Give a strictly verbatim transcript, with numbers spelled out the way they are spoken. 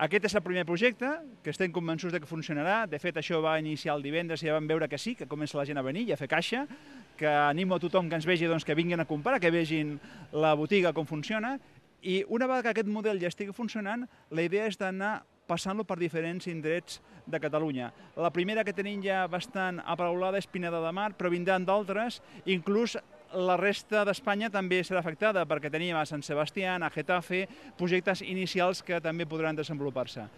Aquest és el primer projecte, que estem convençuts que funcionarà. De fet, això va iniciar el divendres i ja vam veure que sí, que comença la gent a venir i a fer caixa, que animo a tothom que ens vegi que vinguin a comprar, que vegin la botiga com funciona. I una vegada que aquest model ja estigui funcionant, la idea és d'anar passant-lo per diferents indrets de Catalunya. La primera que tenim ja bastant aparaulada és Pineda de Mar, però vindran d'altres, inclús la resta d'Espanya també serà afectada, perquè tenim a Sant Sebastià, a Getafe, projectes inicials que també podran desenvolupar-se.